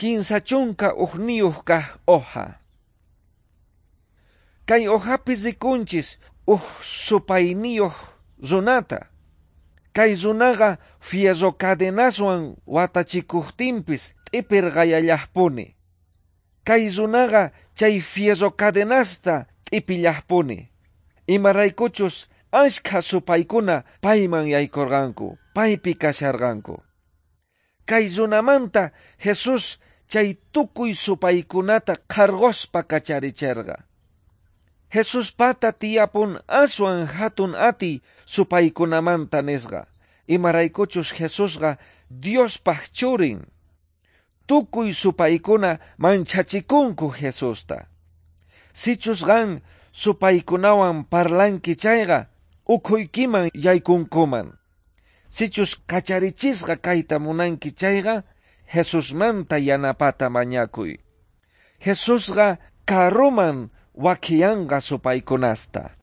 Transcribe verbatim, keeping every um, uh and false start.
Kinsa chunka ujniyuq kaq hoja. Kay hojapi rikunchis uj supayniyuq runata. Kay runaqa fierro cadenaswan watachikuqtinpis t'ipirqayallaqpuni. Kay runaqa chay fierro cadenasta t'ipillaqpuni. Imaraykuchus ashkha supaykuna payman yaykurqanku, paypi kasharqanku. Kay runamanta Jesús chay tukuy supaykunata qharqospa kacharicherqa. Jesuspata tiyapun aswan hatun atiy supaykunamanta nisqa. Imaraykuchus Jesusqa Diospaj churin. Tukuy supaykuna manchachikunku Jesusta. Sichus qan supaykunawan parlanki chayqa ukhuykiman yaykunkuman. Sichus kacharichisqa kayta munanki chayqa Jesusmanta yanapata mañakuy. Jesusqa karuman wakiyanqa supaykunasta.